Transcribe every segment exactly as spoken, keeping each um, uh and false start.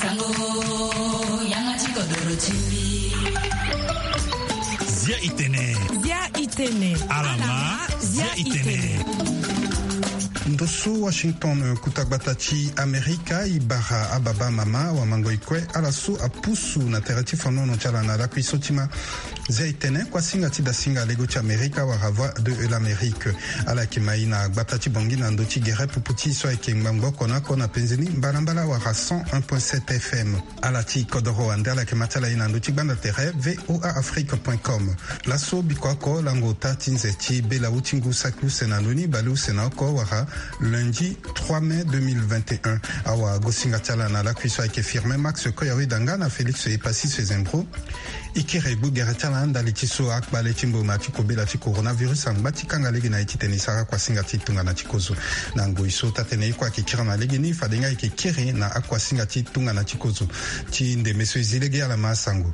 Tango yanga ti kodoro ti mbi. Zia itene. Zia itene. Alama. Zia itene. Ndo so Washington, kuta gbata ti Amerika, e bara ababa, amama, awamango, e kue, ala so apusu na tere ti fonono ti ala na lakui so ti ma. Zia itene, kuasinga ti dasinga lego ti Amerika wala Voix de l'Amérique. Ala yeke ma e na gbata ti Bangui na ndö ti gere pupu ti e so ayeke ngbangbo oko na oko na penze ni mbalambala wala cent un point sept F M. Ala ti kodoro wande ala yeke ma ti ala e na ndö ti gbanda tere V O A Afrique point com. Laso biko oko lango ota ti nze ti bela awu ti ngu saki use na ndö ni bale use na oko wala lundi trois mai deux mille vingt et un. Awagosinga ti ala na lakui so ayeke Firmin Max Koyori Danga na Félix Epassi Sezembro. E kiri gbu gere ti ala ndali ti so akpale ti mboma ti kobela ti coronavirus angba ti kanga lege na e titene e sara kuasinga ti tongana ti kozo. Na ngoi so taa-tënë ye kue ayeke kiri na legeni, fade nga e yeke kiri na akuasinga ti tongana ti kozo. Ti ndeme so e zi lege ala ma asango.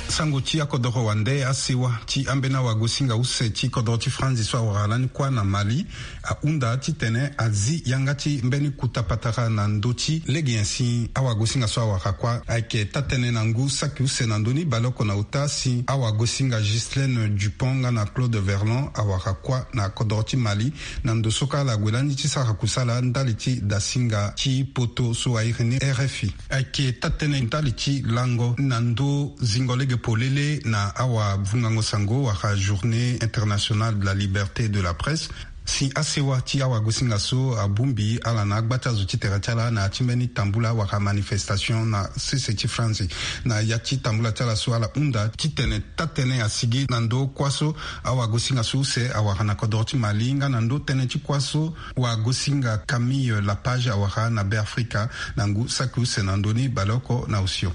Sango ti akodoro wande, asewa ti ambeni awagosinga use ti kodoro ti Franzi so awara lani kuâ na Mali ahunda titene azi yanga ti mbeni kuta patara na ndö ti lege nyen si awagosinga so awara kuâ. Ayeke taa-tënë na ngu saki use na ndö ni baleoko na ota si awagosinga Ghislaine Dupont nga na Claude Verlon awara kuâ na kodoro ti Mali, na ndo so kâ ala gue lani ti sara kusala ndali ti dasinga ti poto so airi ni R F I. Ayeke taa-tënë ndali ti lango na ndö zingo lege polele na awavungango sango wala Journée internationale de la liberté de la presse. Si asewa ti awagosinga so abongbi ala na agba ti azo ti tere ti ala na ya ti mbeni tambula wala manifestation na sese ti Franzi. Na ya ti tambula ti ala so ala hunda titene taa-tënë asigi na ndö kuâ so awagosinga so use awara na kodoro ti Mali nga na ndö tënë ti kuâ so wagosinga Camille Lapage awara na Beafrika na ngu saki use na ndö ni baleoko na osio.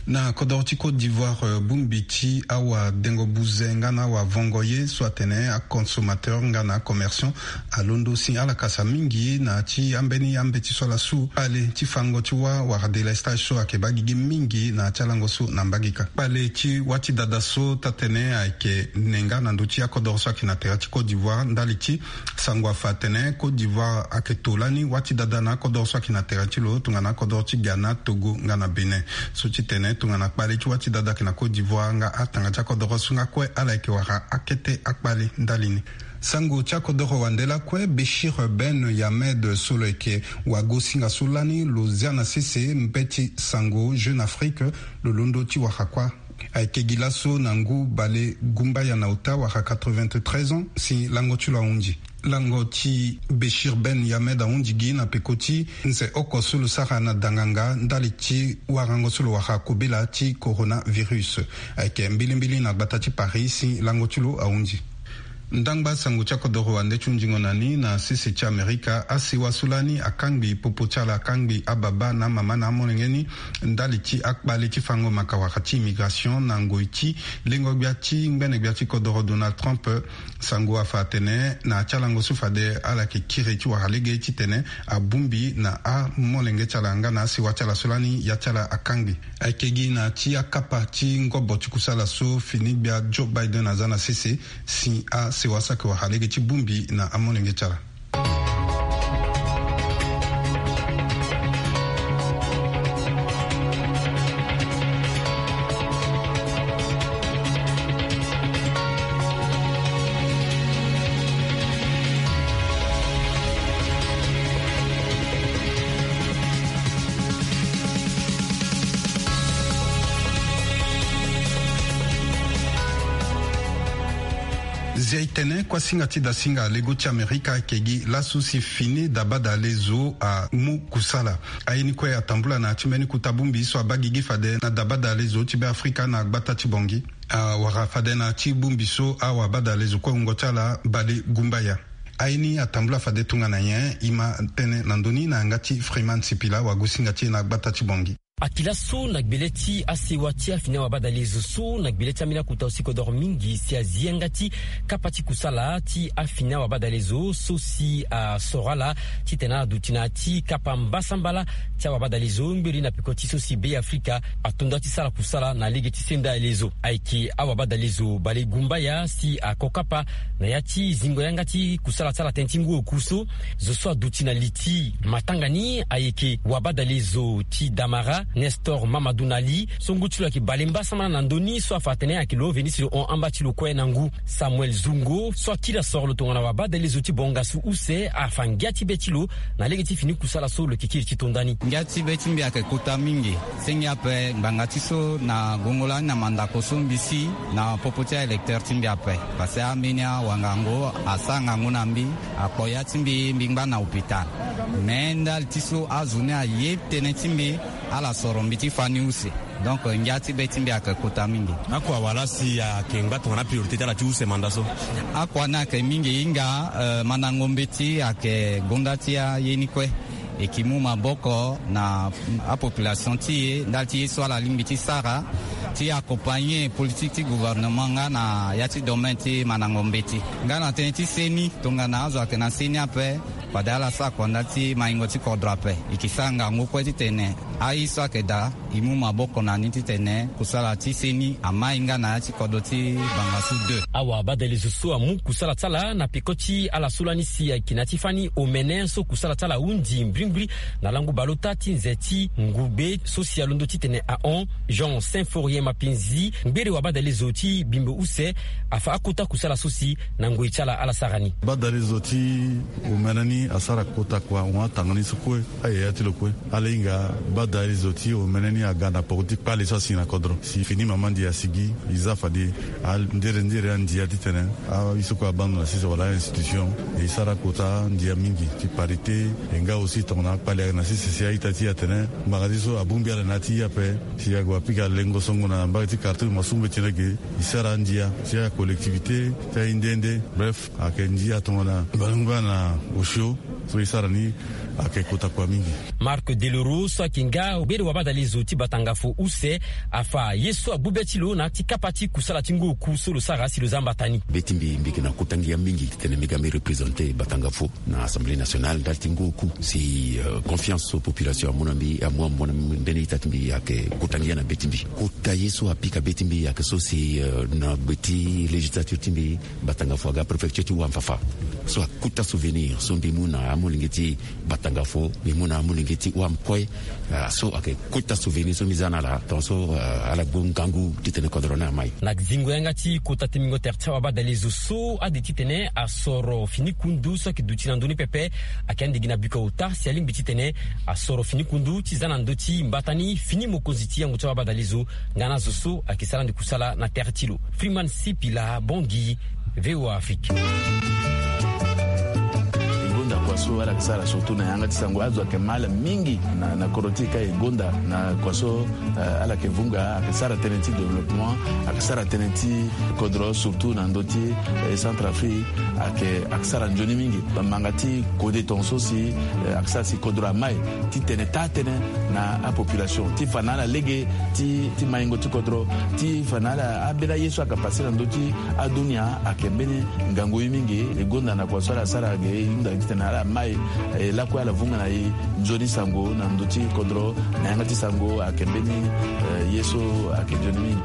Na kodoro ti Côte d'Ivoire, eh, bongbi ti awadengo buze nga na awavongo ye so atene aconsommateur nga na acommerçant alondo si ala kasa mingi na ya ti ambeni ambeti so ala su kpale ti fango ti wâ wala délestage so ayeke baa gigi mingi na ya ti alango so na mbagika. Kpale ti wâ ti dada so taa-tënë ayeke ne nga na ndö ti akodoro so ayeke na tere ti Côte d'Ivoire ndali ti sango afa atene Côte d'Ivoire ayeke to lani wâ ti dada na akodoro so ayeke na tere ti lo tongana akodoro ti Ghana, Togo nga na Bénin. So ti tene tongana kpale ti wâ ti dada ayeke na Côte d'Ivoire nga atanga ti akodoro so nga kue ala yeke wara akete akpale ndali ni. Sango ti akodoro wande lakue, Béchir Ben Yamed so lo yeke wagosinga so lani lo zia na sese mbeti sango Jeune Afrique, lo londo ti wara kuâ. Ayeke gi laso na ngu bale gumbaya na ota wala quatre-vingt-treize ans si lango ti lo ahunzi. Lango ti Béchir Ben Yamed ahunzi gi na peko ti nze oko so lo sara na danganga ndali ti warango so lo wara kobela ti coronavirus. Ayeke mbilimbili na gbata ti Paris si lango ti lo ahunzi. Ndangba sango ti akodoro wande ti hunzingo na ni na sese ti Amerika, asewa so lani akangbi popo ti ala, akangbi ababa na amama na amolenge ni ndali ti akpale ti fango maka wala ti immigration na ngoi ti lengo gbia ti ngbene gbia ti kodoro Donald Trump. Sango afa atene na ya ti alango so fade ala yeke kiri ti wara lege titene abongbi na amolenge ti ala nga na asewa ti ala so lani ya ti ala akangbi. Ayeke gi na ya ti akapa ti ngobo ti kusala so fini gbia Joe Biden aza na sese si asewa so ayeke wara lege ti bongbi na amolenge ti ala. Zia e tene kuasinga ti dasinga lego ti Amerika ayeke gi laso si fini dabadalezo amu kusala. Aye ni kue atambula na ya ti mbeni kuta bongbi so abaa gigi fade na dabadalezo ti Beafrika na gbata ti Bangui. Awara fade na ya ti bongbi so awabadalezo kue wungo ti ala bale gumbaya. Aye ni atambula fade tongana nyen? E ma tënë na ndö ni na yanga ti Freeman Sipila, wagosinga ti e na gbata ti Bangui. Akila so na gbele ti asewa ti afini awabadalezo so na gbele ti ambeni akota osi kodoro mingi si azi yanga ti kapa ti kusala ti afini awabadalezo so si asoro ala titene ala duti na ya ti kapa mbasambala ti awabadalezo ngberi na peko ti so si Be Afrika atonda ti sara kusala na lege ti senda alezo. Ayeke awabadalezo Balegumbaya si ako kapa na ya ti zingo yanga ti kusala ti ala tënë ti ngu oku so. Zo so aduti na li ti matanga ni ayeke wabadalezo ti Damara, Nestor Mamadou Nali, so ngu ti lo ayeke bale mbasambala na ndö ni so afa atene ayeke lo veni si lo hon amba ti lo kue na ngu. Samuel Zungo so akiri asoro lo tongana wabadalezo ti bongasu use afa ngia ti be ti lo na lege ti fini kusala so lo yeke kiri ti to ndani. Ngia ti be ti mbi ayeke kota mingi. Senge ape ngbanga ti so na gongo lani na mandako so mbi si na popo ti aélecteur ti mbi ape. Parce que ambeni awangango asara ngangu na mbi, akpo ya ti mbi, mbi ngba na hôpital. Me ndali ti so azo ni aye tënë ti mbi, ala soro mbi ti fani use. Donc ngia ti be ti mbi ayeke kota mingi. Akua wala si ayeke ngba tongana apriorité ti ala ti use manda so? Akua ni ayeke mingi hinga, euh, mandango mbeti ayeke gonda ti aye ni kue. E ke mu maboko na apopulation ti e ndali ti ye so ala lingbi ti sara, ti accompagner politique ti gouvernement nga na ya ti domaine ti mandango mbeti. Nga na tënë ti seni, tongana azo ayeke na seni ape, fade ala sara kua ndali ti maingo ti kodro ape. E ke sara ngangu kue titene aye so ayeke daa, e mu maboko na ni titene kusala ti seni amai nga na ya ti kodro ti bangasu deux. Awabadalezo so amu kusala ti ala na peko ti ala so lani si ayeke na ya ti fani omene so kusala ti ala ahunzi mbrimbri na lango baleota ti nze ti ngube so si alondo titene ahon Jean Symphorien Mapenzi, ngbere wabadalezo ti Bimbo Use, afa akota kusala so si na ngoi ti ala ala sara ni. Badalezo ti omene ni asara kota kua hon atanga ni so kue. Ayaya ti lo kue. Ala hinga badalezo ti omene ni aga na poko ti kpale so asi na kodro. Si fini mama ndia asigi, e za fade andere ndere andia titene aye so kue abando na sese wala a-institution. E sara kota ndia mingi ti parité. E nga aussi tongana akpale ayeke na sese si a-ita ti e atene ngbanga ti so abongbi ala na ya ti e ape. Si ague apika lengo songo na mbage ti quartier, ma so mbeti lege e sara andia ti acollectivité ti aye nde nde. Bref, ayeke ndia tongana bale ngba na osio so e sara ni. Ayeke kota kua mingi. Marc Deloro so ayeke nga ngbere wabadalezo ti Batangafo Use afa ye so agbu be ti lo na ya ti kapa ti kusala ti ngu oku so lo sara si lo za mbata ni. Be ti mbi, mbi yeke na kota ngia mingi titene mbi ga mbi représenter Batangafo na Assemblée nationale ndali ti ngu oku si, euh, confiance so population amu na mbi, amu, amu na mbi, mbeni ita ti mbi ayeke kota ngia na be ti mbi. Kota ye so apika be ti mbi ayeke so si, euh, na gbe ti législature ti mbi, Batangafo aga préfecture ti Ouham-Fafa. So akota souvenir so mbi mu na amolenge ti Batangafo, mbi mu na amolenge ti Ouham kue. Ah, so ayeke kota souvenir so mbi za na ala, tongaso, ah, ala gbu ngangu titene kodro ni amai. Na zingo yanga ti kota temingo tere ti awabadalezo so ade titene asoro fini kundu so ayeke duti na ndö ni pepe, ayeke andigi na biko ota si alingbi titene asoro fini kundu ti za na ndö ti mbata ni fini mokonzi ti yango ti awabadalezo nga na azo so ayeke sara ande kusala na tere ti lo. Freeman Sipila Bongi, V O A Afrique. E gonda kua so ala yeke sara surtout na yanga ti sango, azo ayeke ma ala mingi na, na kodro ti e ka e gonda na kua so, eh, ala yeke vunga, ayeke sara tënë ti développement, ayeke sara tënë ti kodro surtout na ndö ti, eh, Centrafrique, ayeke, ayeke sara nzoni mingi. Manga ti kode tongaso si, eh, ayeke sara si kodro amai titene taa tënë na apopulation ti fa na ala lege ti, ti maingo ti kodro, ti fa na ala ambeni aye so ayeke pase na ndö ti adunia ayeke mbeni ngangu ye mingi. E gonda na kua so ala sara ge, e hunda titene ala mai, e lakue ala vunga na e nzoni sango na ndö ti kodro, na yanga ti sango ayeke mbeni, eh, ye so ayeke nzoni mingi.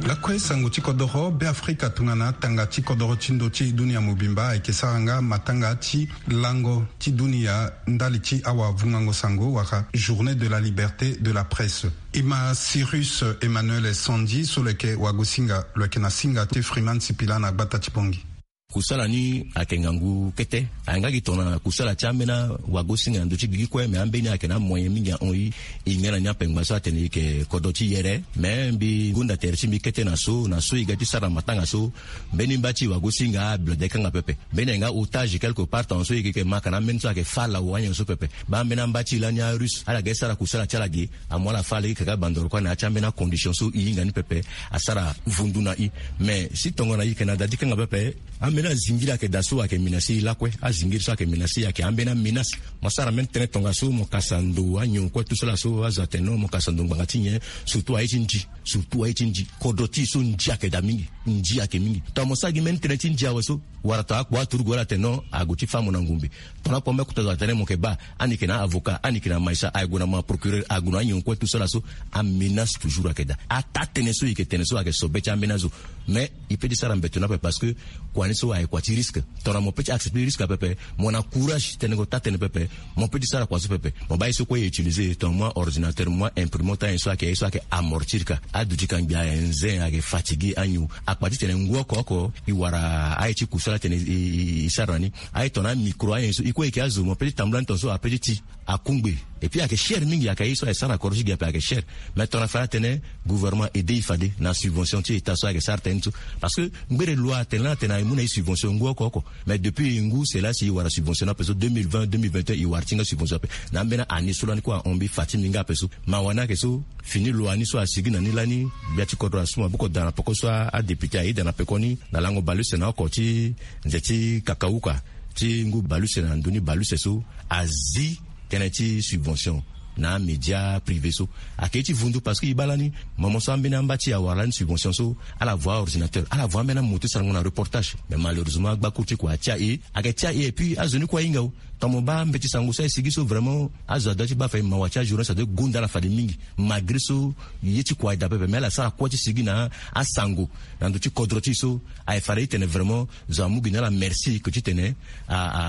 Lakue sango ti kodoro. Beafrika tongana tanga ti kodoro ti ndo ti dunia mobimba ayeke sara nga matanga ti lango ti dunia ndali ti awavungango sango wala Journée de la liberté de la presse. E ma Cyrus Emmanuel Sandi so lo yeke wagosinga, lo yeke na singa ti Freeman Sipila na gbata ti Bongi. Kusala ni ayeke ngangu kete. Ayeke nga gi tongana kusala ti ambeni awagosinga na ndö ti gigi kue, me ambeni ayeke na amoyen mingi ahon e. E hinga na ni ape ngba so atene e yeke kodro ti yere. Me mbi gonda tere ti mbi kete na so, na so e ga ti sara na matanga so. Mbeni mba ti e wagosinga abila de kanga pepe. Mbeni ayeke nga otage quelque part, tongaso e yeke, yeke ma ka na ambeni so ayeke fâ lawa anyen so pepe. Baa mbeni amba ti e lani arusse ala ga ti sara kusala ti ala ge, amu ala fâ lege kaka bandoro kue na ya ti ambeni acondition so e hinga ni pepe asara vundu na e. Mais si tongana e yeke na da ti kanga pepe, Ambeni azingiri ayeke daa so ayeke menace e lakue. Azingiri so ayeke menace e ayeke ambeni amenace. Mo sara mbeni tënë tongaso mo kasa ndo anyon kue tout cela so azo atene non mo kasa ndo ngbanga ti nyen. Surtout aye ti ndi. Surtout aye ti ndi. Kodro ti e so ndi ayeke daa mingi. Ndi ayeke mingi. Tongana mo sara gi mbeni tënë ti ndi awe so, wala tongana akpo aturugu wala atene non ague ti fâ mo na ngumbe. Tongana akpo ambeni akota zo atene mo yeke baa ani yeke na avocat, ani yeke na maïssa, aye gue na mo na procureur, ague na anyon kue tout cela so. Amenace toujours ayeke daa. Ataa tënë so e yeke tene so ayeke sobe ti ambeni azo. Mais e peut ti sara mbeto ni ape parce que kua ni so ayeke kua ti risque. Tongana mo peut ti accepter risque apepe, mo na courage ti tene gue taa tënë pepe, mo peut ti sara kua so pepe. Mo baa ye so kue e utiliser, tongana mo a ordinateur, mo a imprimante, aye so ayeke, aye so ayeke amortir ka. Aduti ka ngbia ayeke zen, ayeke fatigué anyon. Akpa ti tene ngu oko oko e wara aye ti kusala atene e, e, e sara na ni. Aye tongana amicro, aye so e kue e yeke azo, mo peut ti tambula ni tongaso a peut ti ti akungbe. Et puis ayeke cher mingi, ayeke ye so ayeke sara na kodro ti gi ape ayeke cher. Mais tongana fade atene gouvernement aide e fade na subvention ti état so ayeke sara tënë ni so. Parce que ngbere loi atene lani atene aye mu na e subvention ngu oko oko. Mais depuis e ngu, c'est là si e wara subvention ni ape so, deux mille vingt, deux mille vingt et un, e wara ti nga subvention ape. Na ambeni année so lani kue ahon mbi fa ti mbi nga ape so. Mawa ni ayeke so, fini loi ni so asigi na ni lani, gbia ti kodro asu maboko daa na peko so, adéputé aye daa na peko ni, na lango bale use na oko ti nze ti kakauka ti ngu bale use na ndö ni bale use so, azi tënë ti subvention na amédia privé so. Ayeke ye ti vundu parce que e baa lani, moment so ambeni amba ti e awara lani subvention so, ala voa aordinateur, ala voa ambeni amoto ti sarango na reportage. Mais malheureusement agbakour ti kua atia e, ayeke tia e, et puis azo ni kue ahinga o. Tongana mo baa mbeti sango so aye sigi so, vraiment azo adoit ti baa fade mawa ti ajournaliste adoit gonda ala fade mingi. Malgré so ye ti kua aye daa pepe, mais ala sara kue ti sigi na asango na ndö ti kodro ti e so. Aye fade e tene vraiment zo amu gi na ala merci ke ti tene a, a,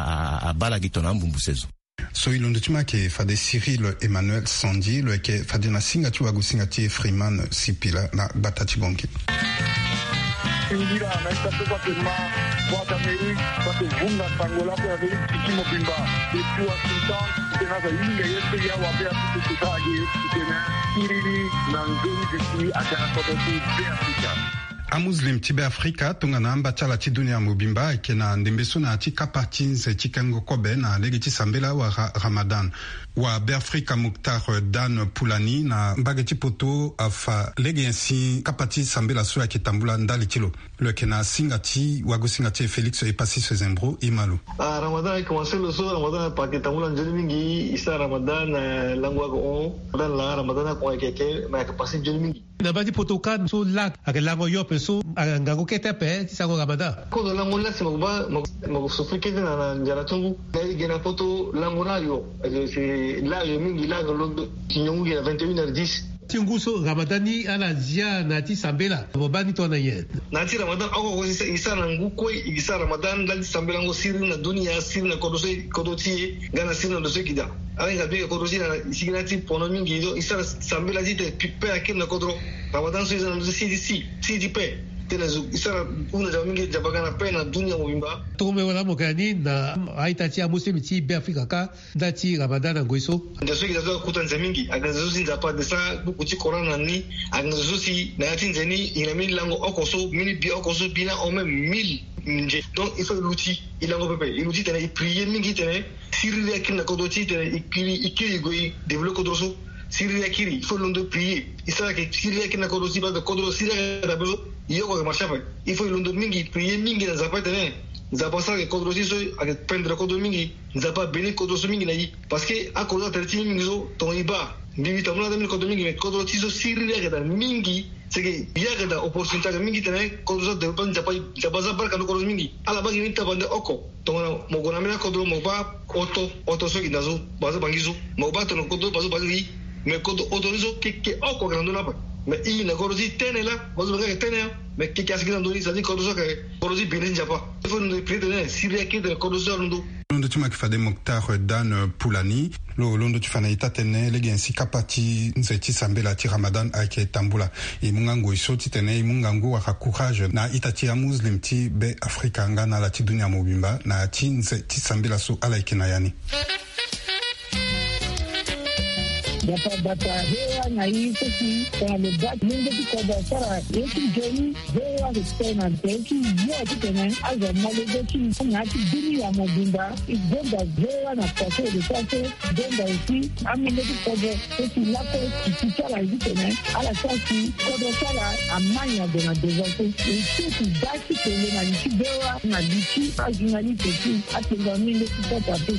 a, abaa ala gi tongana ambumbu sezo. So e londo ti ma ayeke fade Cyril Emmanuel Sandi, lo yeke fade na singa ti wagosinga ti e Freeman Sipila na gbata ti Bangui. Singila na ita so so ayeke ma Voix d'Amérique so ayeke vunga sango lakue na ndö ti ti mobimba. Depuis Washington, titene azo ahinga ye so e awabe apupu kota age titene siriri na nzoni duti aga na kodro ti Beafrika. Amuslim ti Beafrika tongana amba ti ala ti dunia mobimba ayeke na ndembe so na ya ti kapa ti nze ti kengo kobe na lege ti sambela wala Ramadan. Wa Beafrika Muktar Dan Pulani na mbage ti poto afa lege nyen si kapa ti sambela so ayeke tambula ndali ti lo. Lo yeke na singa ti wagosinga ti e Félix Epassis Zembro, e ma lo. Ah, Ramadan ayeke commencé lo so, Ramadan ayeke tambula nzoni mingi. E sara Ramadan, eh, lango ayeke hon. Ramadan laa, Ramadan ayeke hon, ayeke, ayeke, mais ayeke passé nzoni mingi. Na baa ti poto kâ so lak ayeke lango yo ape so, ayeke ngangu kete ape ti sango Ramadan. Kozo lango ni la si mo ko baa, mo ko, mo ko souffrir kete na, na nzara ti ngu. Na e ge na poto lango ni ayo. Eh, c'est là ayo mingi, là ayo londo. Ti niongo gi na vingt et une heures dix. Ti ngu so Ramadan ni ala zia na ya ti sambela, mo baa ni tongana nyen? Na ya ti Ramadan oko oko si e sara na ngu kue, e sara Ramadan ndali ti sambelango siriri na dunia, siriri na kodro so, kodro ti e, nga na siriri na ndo so e gi daa. Ala hinga bika kodro ti e na sigi na ya ti pono mingi, donc e sara sambela ti tene pepe akiri na kodro. Ramadan so e sara na ndo ti si ti si, si ti pe. Tene zo e sara hunda nzapa mingi, nzapa nga na pe na dunia mobimba. Tongombe wala mo yeke na ni na a-ita ti amuslim ti Beafrika kâ, nda ti Ramadan na ngoi so. Nze so e gi daa so akota nze mingi, ayeke nze so si Nzapa ade sara buku ti Coran na ni, ayeke nze so si na ya ti nze ni e na mbeni lango oko so, mbeni bi oko so, bi ni ahon même mille nze. Donc il faut e luti, e lango pepe, e luti tene e prier mingi tene siriri akiri na kodro ti e tene e kiri, e kiri e gue e développer kodro so. Siriri akiri, il faut e londo prier. E sara ayeke siriri akiri na kodro ti e, parce que kodro siriri ayeke daa be so, e oko ayeke marché ape. Il faut e londo mingi, e prier mingi na Nzapa tene Nzapa asara ayeke kodro ti e so ayeke pendre kodro mingi. Nzapa abéni kodro so mingi na e. Parce que akodro so atene ti e mingi so, tongana e baa, mbi, mbi tambula na mbeni kodro mingi, mais kodro ti e so siriri ayeke daa mingi. C'est que e yeke daa opportunité ayeke mingi tene kodro so adéveloppé, Nzapa, Nzapa aza barka na kodro so mingi. Ala baa gi mbeni tabande oko. Tongana mo gue na mbeni akodro mo baa oto, oto so ayeke daa so, baa so Bangui so. Mo baa tongana kodro baa so Bangui. Mais kodro oto ni so keke oko ayeke na ndö ni ape. Mais e na kodro ti tene laa, baa so Bangui ayeke tene, mais keke asigi na ndö ni, c'est-à-dire kodro so ayeke kodro ti bene ti Nzapa. Il faut londo e prier tene siriri akiri tene kodro so alondo. Londo ti ma ayeke fade Moctar Dan Poulani. Lo londo ti fa na e taa-tënë lege nyen si kapa ti nze ti sambela ti Ramadan ayeke tambula. E mu nga ngoi so titene e mu ngangu wala courage na a-ita ti amuslim ti Beafrika nga na ala ti dunia mobimba na ya ti nze ti sambela so ala yeke na ya ni. Bata bata V O A na i so si tongana lo baa ti lenge ti kodro asara ye ti nzoni, V O A respect na nze ti yo titene azo amolenge ti na ya ti bini ya mobimba. E gonda V O A na kua so e lo sara so, gonda aussi amolenge ti kodro so si lakue ti ti ti ala titene ala sara si kodro ti ala amai ado na devant so. E so ti baa ti tene na li ti V O A na li ti ajournaliste ti atengo amolenge ti kota pe.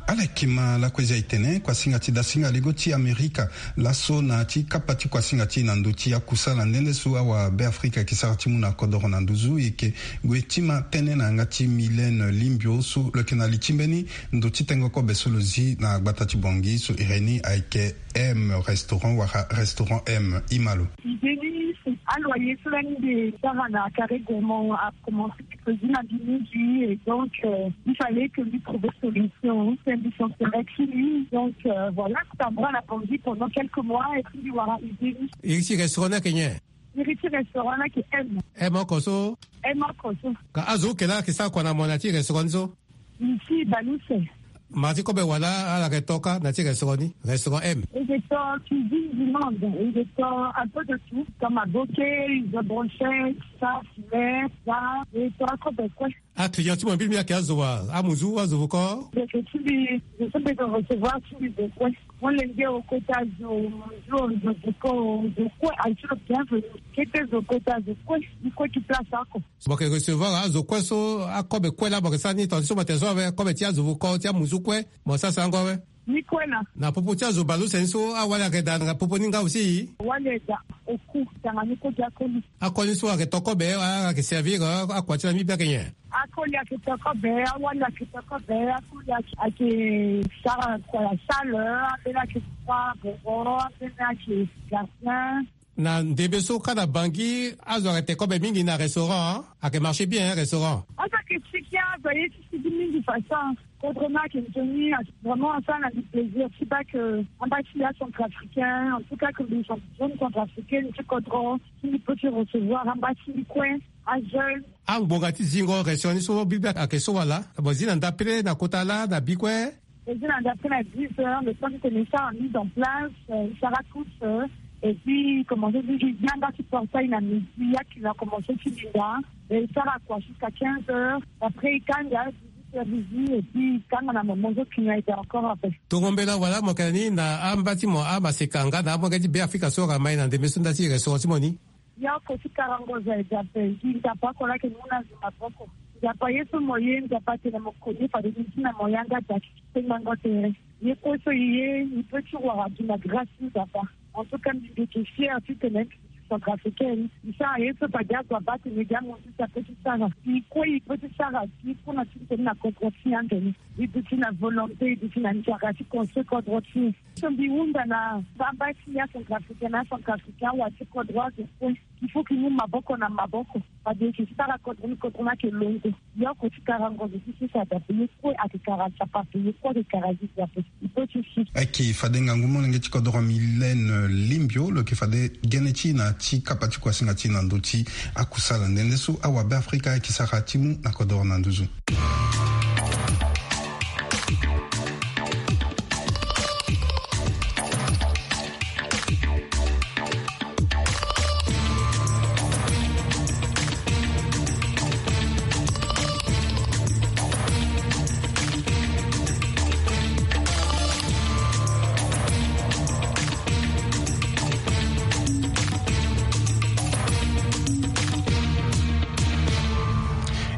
Ala yeke ma lakue zia e tene kuasinga ti dasinga lego ti Amerika laso na ti kapa ti kuasinga ti e na ndö ti akusala nde nde so awabe Afrika ayeke sara ti mu na kodoro na nduzu. E yeke gue ti ma tënë na yanga ti Mylène Limbio so lo yeke na li ti mbeni ndo ti tengo kobe so lo zi na gbata ti Bangui so iri ni ayeke M Restaurant wala Restaurant M. Ima lo. Idée ni, aloyer so lani mbi sara na Carré Gourmand a commencé ti produit na mbi mingi, et donc, euh, il fallait que mbi trouve solution. C'est mbi sentir ti mbi. Donc, euh, voilà, ça m'a la Bangui pendant quelques mois et puis mbi wara idée ni. Iri ti restaurant ni ayeke nyen? Iri ti restaurant ni ayeke M. M oko so? M oko so. Ka azo oke laa ayeke sara kua na mo na ya ti restaurant ni so? Ici, Balouse. Ma ti kobe wala ala yeke to kâ na ti restaurant ni, restaurant M? E yeke to cuisine du monde, e yeke to un peu de tout, comme maboke, izo, brochette, ça, filet, ça, e to akobe kue. Aclient ti mo mbili mbili ayeke azo wa, amuzu, azo vuko? Ndeke ti mbi, zo so mbi yeke recevoir ti mbi zo kue. Molenge o kota zo, muzu o, zo vuko o, zo kue aye ti lo bienvenu. Kete zo kota zo kue, e kue ti place oko. Mo yeke recevoir azo kue so, akobe kue laa mo yeke sara ni, tongana ti so mo tene so awe, kobe ti azo vuko, ti amuzu kue, mo sara sarango awe? Ni kue laa. Na popo ti azo baleuse ni so, awali ayeke daa na popo ni nga aussi? Awali ayeke daa oku, tongana ni kue ti akoli. Akoli so ayeke to kobe, a, ayeke servir, a, akua ti na mbi be ayeke nyen? Akoli ayeke to kobe, awali ayeke to kobe, akoli ayeke, ayeke sara kua ya salle, ambeni ayeke kua boro, ambeni ayeke gardien. Na ndembe so kâ na Bangui, azo ayeke te kobe mingi na restaurant, ayeke marché bien, hein, restaurant. Azo ayeke sigi, azo aye ti sigi mingi façon. Kodro ni ayeke nzoni, vraiment, asara na mbi plaisir. Ti baa que amba ti mbi acentrafricain, en tout cas que mbi jeune centrafricaine ti kodro, si mbi peut ti recevoir amba ti mbi kue, ajeune. Angbonga ti zingo restaurant ni so, bi be ayeke so wala? Mo zi na ndapele na kota laa na bi kue? Ezi na ndapre na dix heures, le temps que mbi sara mise en place, euh, mbi sara tous, euh, et puis commencé ti yanga ti portail na midi, ya kina commencé ti linda, e sara kua jusqu'à quinze heures, après e kanga dix-huit heures midi, et puis e kanga na moment so kina e da encore après. Tongo mbela wala mo yeke na ni na amba ti mo amaseka nga na amolenge ti Beafrika so ayeke mai na ndembe so nda ti restaurant ti mo ni? Ye oko ti karango zo aye de ape, gi Nzapa oko laa ayeke mu na zo maboko. Nzapa ye so mo ye, Nzapa atene mo koni fade ni ti na mo yanga da ti kpengango tere. Ye kue so e ye, e peut ti wara gi na grâce ti Nzapa. En tout cas, mbi yeke fière titene mbi centrafricaine. E sara ye so fade azo abaa tene gi amu ti sa peut ti sara. E kue e peut ti sara gi kue na ti tene na kodro ti e ande ni. E duti na volonté, e duti na nzara ti construire kodro ti e. So mbi hunda na baba ti ya centrafricain na centrafricain awa ti kodro azo kue. Il faut que e mu maboko na maboko. Fade e yeke sara kodro ni, kodro ni ayeke londo. Ye oko ti karango zo ti so si adape, ye kue ayeke kara Nzapa ape, ye kue ayeke kara Jésus ape. E peut ti si. Ayeke fade ngangu molenge ti kodro Mylène Limbio, lo yeke fade gene ti e na ti kapa ti kuasinga ti e na ndö ti akusala nde nde so awabe Afrika ayeke sara ti mu na kodro na nduzu.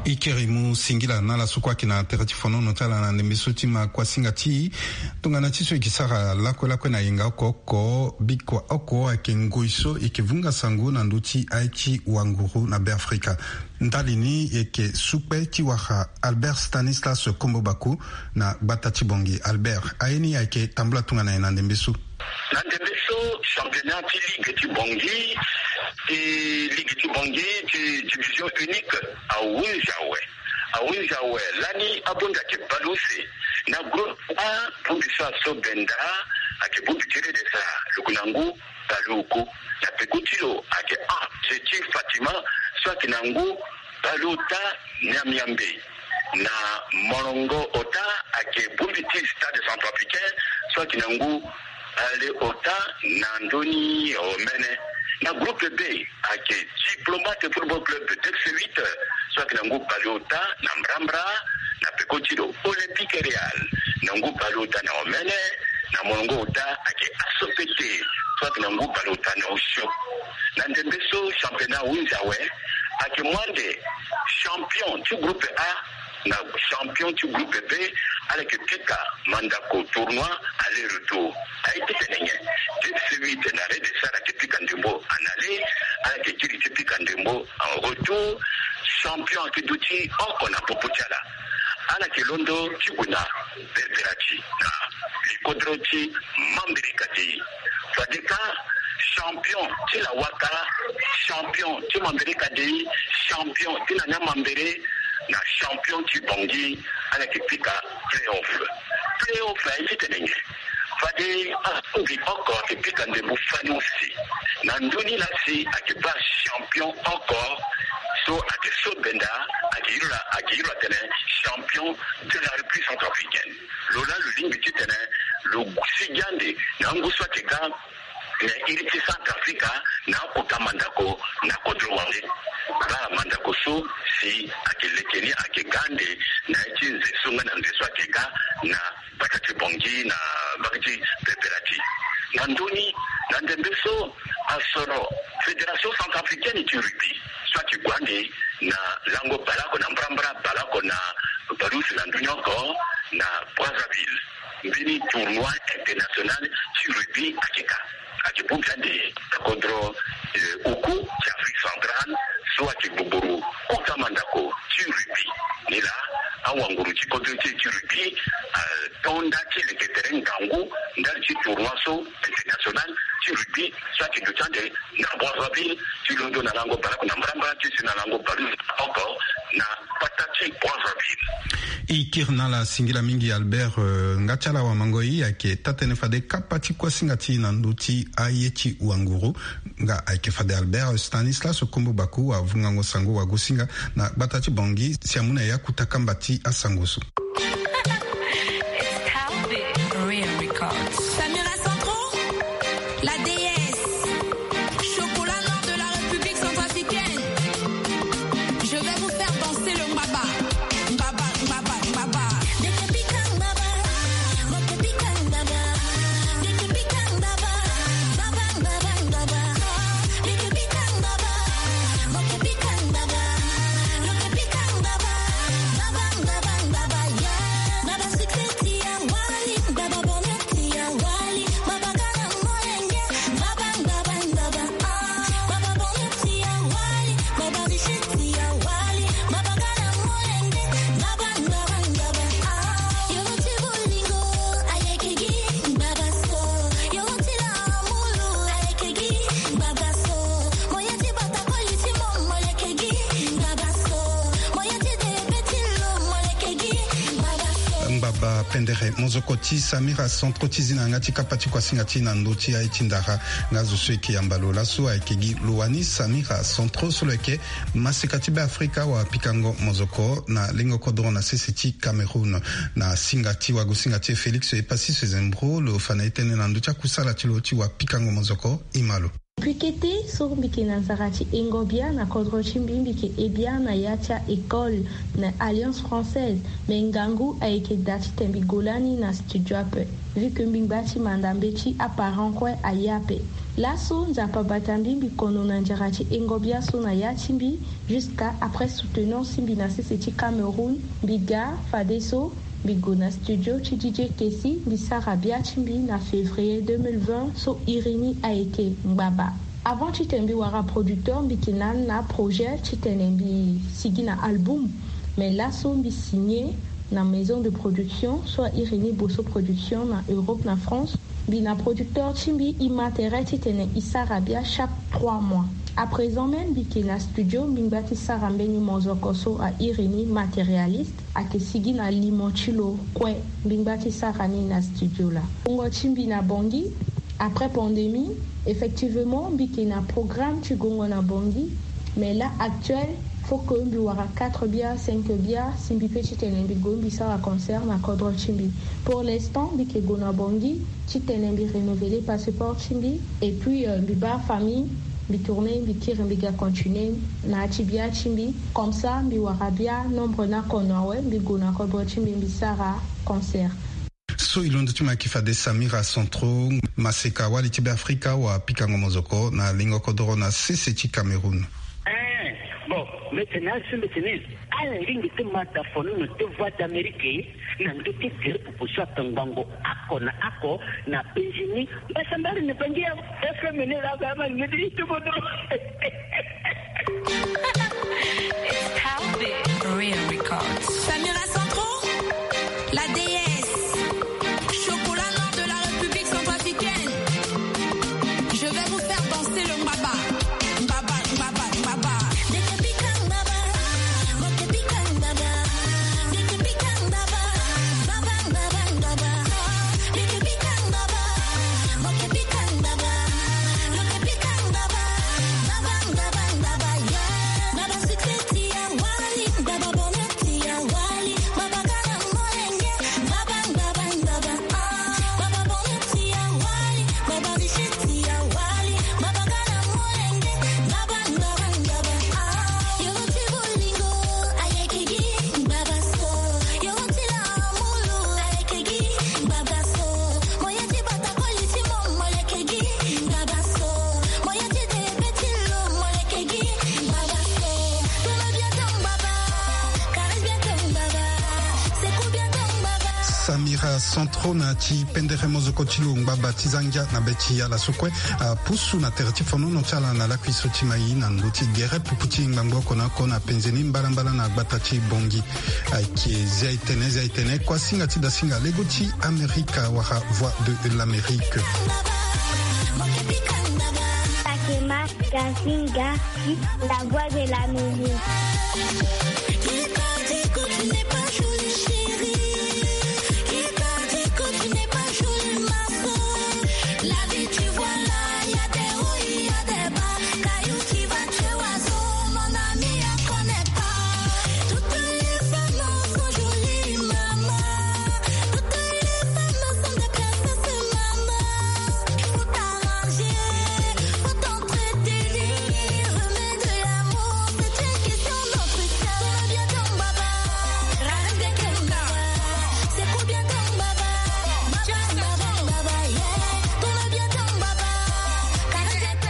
E kiri mu singila na ala so kue ayeke na tere ti fonono ti ala na ndembe so ti ma kuasinga ti e. Tongana ti so e yeke sara lakue lakue na yenga oko oko, bikua oko ayeke ngoi so e yeke vunga sango na ndö ti aye ti wanguru na Beafrika. Ndali ni e yeke sukpe ti wara Albert Stanislas Kombo Baku na gbata ti Bangui. Albert, aye ni ayeke tambula tongana nyen na ndembe so? Na ndembe so, championnat ti ligue ti Bangui, ti ligue ti Bangui ti division unique ahunzi awe. Ahunzi awe lani abonda ayeke baleuse na groupe A, bongbi so aso benda ayeke bongbi ti rede sa luku na ngu. Baleoku na peko ti lo ayeke A, se ti Fatima so ayeke na ngu Baleota Niamniambe na molongo ota ayeke bongbi ti Stade Centrafricain so ayeke na ngu baleota na ndö ni omene. Na groupe B ayeke Diplomate Football Club, Dex huit, so ayeke na ngu baleota na mbrambra na peko ti lo. Olympique Real na ngu baleota na omene. Na molongo ota ayeke Asopete so ayeke na ngu baleota na osio. Na ndembe so championnat ahunzi awe, ayeke mu ande champion ti groupe A na champion ti groupe B, ala yeke pika mandako tournoi aller-retour. Aye ti tene nyen? Dex huit na Red Star ayeke pika ndembo en aller, ala yeke kiri ti pika ndembo en retour. Champion ayeke duti oko na popo ti ala. Ala yeke londo ti gue na Berberaci na likodro ti Mambéré Kadéï. Fade kâ champion ti Lawaka, champion ti Mambéré Kadéï, champion ti Nania Mambéré na champion ti Bangui, ala yeke pika play-off. Play-off aye ti tene nyen? Fade ala so mbi oko ayeke pika ndembo fani use. Na ndö ni laa si ayeke baa champion oko so ayeke so benda, ayeke iri lo, ayeke iri lo atene champion de la République centrafricaine. Lo laa lo lingbi ti tene lo sigi ande na ngu so ayeke ga na iri ti Centrafrique na akota mandako na kodro wande. Baa mandako so si ayeke leke ni ayeke ga ande na ya ti nze so nga na nze so ayeke ga na mbata ti Bangui na mbage ti Berberaci. Na ndö ni, na ndembe so asoro Fédération Centrafricaine ti Rugby so ayeke gue ande na lango baleoko na mbrambra, baleoko na baleuse na ndö ni oko na Brazzaville. Mbeni tournoi international ti rugby ayeke ka. Ayeke bongbi ande na kodro, eh, oku ti Afrique centrale so ayeke gbogboro kota mandako ti rugby. Ni laa awanguru ti kodro ti e ti rugby atonda ti leke tere ngangu ndali ti tournoi so international ti rugby so ayeke duti ande na Brazzaville ti londo na lango baleoko na mbrambra ti si na lango baleuse oko na mbata ti Brazzaville. E kiri na ala singila mingi Albert, eh, nga ti ala wamangoi ayeke taa-tënë fade kapa ti kuasinga ti e na ndö ti aye ti wanguru. Nga ayeke fade Albert Stanislas Kombo Baku, wavungango sango wagosinga na gbata ti Bangui si amu na e akuta kamba ti asango so. Samira Centro, la déesse, chocolat noir de la République centrafricaine. Je vais vous faire danser le mbaba. Mbaba, mbaba, mbaba. Ngbaba pendere mozoko ti Samira Centro ti zi na yanga ti kapa ti kuasinga ti na ndö ti aye ti ndara. Nga zo so e yeke yamba lo laso ayeke gi lo wani Samira Centro so lo yeke maseka ti Beafrika wapikango mozoko na lengo kodro na sese ti Cameroun. Na singa ti wagosinga ti e Félix Epassi Sezembro, lo fa na e tënë na ndö ti akusala ti lo ti wapikango mozoko. E ma lo. Depuis kete so mbi yeke na nzara ti hengo bia na kodro ti mbi, mbi yeke he bia na ya ti a-école na Alliance Française. Me ngangu ayeke daa titene mbi gue lani na studio ape, vu que mbi ngba ti manda mbeti aparent kue aye ape. Laso Nzapa bata mbi, mbi kono na nzara ti hengo bia so na ya ti mbi, jusqu'à après soutenance ti mbi na sese ti Cameroun, mbi ga fadeso mbi gue na studio ti D J Kessi, mbi sara bia ti mbi na février deux mille vingt so iri ni ayeke Ngbaba. Avant titene mbi wara producteur, mbi yeke na ni na projet titene mbi sigi na album. Me laso mbi signé na maison de production so a iri ni Bosso Production na Europe na France. Mbi na producteur ti mbi e ma tere titene e sara bia chaque trois mois. À présent même mbi yeke na studio, mbi ngba ti sara mbeni mozoko so a iri ni Matérialiste. Ayeke sigi na limo ti lo kue. Mbi ngba ti sara ni na studio laa. Gongo ti mbi na Bangui, après pandémie, effectivement mbi yeke na programme ti gongo na Bangui. Mais là actuel, Pour que mbi wara quatre bia, cinq bia, si mbi pe titene mbi gue mbi sara concert na kodro ti mbi. Pour l'instant mbi ke gue na Bangui titene mbi renouveler passeport ti mbi, et puis euh, mbi baa famille, mbi tourner, mbi kiri, mbi ga continuer na ya ti bia ti mbi. Comme ça mbi wara bia nombre ni oko na awe, mbi gue na kodro ti mbi, mbi sara concert. So e londo ti mo ayeke fade Samira Centro, maseka wali ti Beafrika, wa pikango mozoko na lingo kodoro na sese ti Cameroun. Eh, bon, mbi tene asu, mbi tene ala lingbi ti ma da fonono ti Voix d'Amérique na ndö ti gere pupu so atongbango oko na oko na penzi ni. Mbasambari na bangi ya F M ni la ga ma ngedi ti kodoro. It's Talbot Real Records. Samira Centro, la déesse. Chocolat noir de la République centrafricaine. Je vais vous faire danser le mbaba. Mbaba, mbaba, mbaba. Samira Centro na ti pendere mozoko ti lo ngbaba ti zangia na be ti ala so kue apusu na tere ti fonono ti ala na lakui so ti mai na ndö ti gere pupu ti ngbangbo oko na oko na penze ni mbalambala na gbata ti Bangui. Ayeke Zia Etene, Zia Etene, kuasinga ti dasinga lego ti Amerika wala Voix de l'Amérique. Akema Gazinga, la voix de l'Amérique.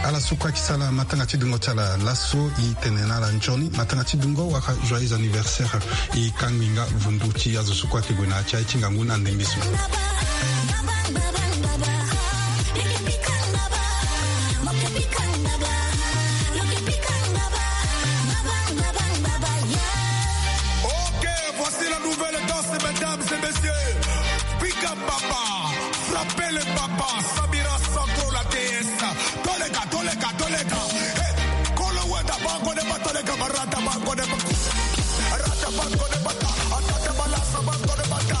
Ala so kue ayeke sara matanga ti dungo ti ala laso, e tene na ala nzoni. Matanga ti dungo wala joyeux anniversaire. E kangbi nga vundu ti azo so kue ayeke gue na ya ti aye ti ngangu na ndembe so. Ok, voici la nouvelle danse, mesdames et messieurs. Pick up, papa. Frappez le papa. Samira Centro, la déesse. Toleka, toleka, toleka. Hey, kolo wenda bango de ba toleka, barata bango de ba. Rata bango de bata. Atata balasa bango de bata.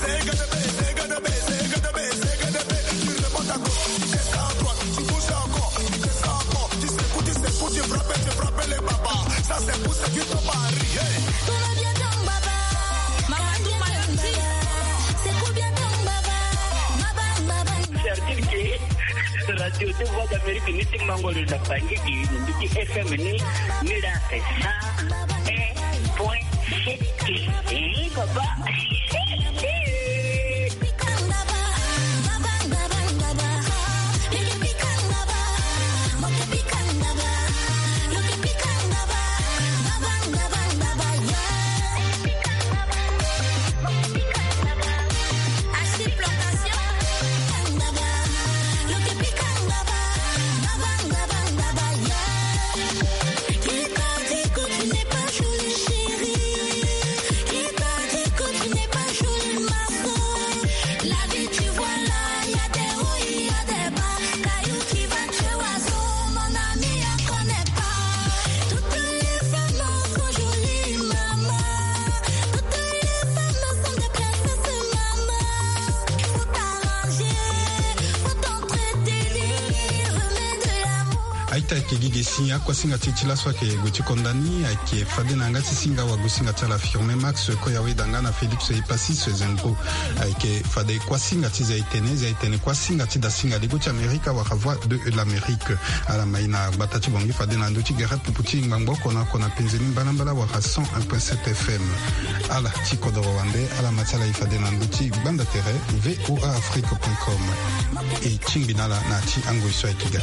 Zega de be, zega de be, zega de be, zega de be. Tu remontes à gauche, tu descends à droite, tu bouges encore, tu descends encore, tu secoues, tu secoues, tu frappes, tu frappes les babas. Ça c'est pour ceux qui sont mariés. Hey. C'est-à-dire que Radio de Voix d'Amérique ni ti mango lo na Bangui, ni ti F M ni, ni la sa. Eh, point. Eh, papa. Aita ayeke gi ge si akuasinga ti e ti laso ayeke gue ti konda ni, ayeke fade na yanga ti singa wagosinga ti ala Firmin Max, koya weda nga na Félix Epasis Zengo. Ayeke fade kuasinga ti Zaitene, Zaitene kuasinga ti dasinga ligo ti Amerika wala Voix de l'Amérique. Ala mai na gbata ti Bangui fade na ndö ti gere pupu ti ngbangbo oko na oko na penze ni mbalambala wala cent un point sept F M. Ala ti kodoro wande, ala ma ti ala e fade na ndö ti gbanda tere V O A Afrique point com. E tingbi na ala na ya ti angoi so ayeke ga.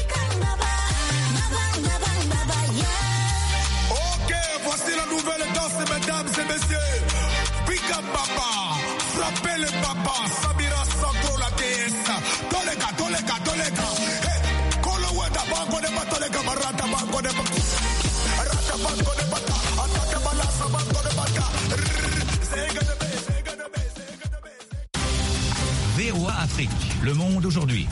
Ok, voici la nouvelle danse, mesdames et messieurs. Pick up, papa, frappez le papa, Samira Sangro, la déesse. Tolega, tolega, tolega. Hey, kolo weta bango de ba tolega, marata bango de ba. Rata bango de ba. Atata balasa bango de ba. Zega de be, zega de be, zega de be. V O A Afrique, le monde aujourd'hui.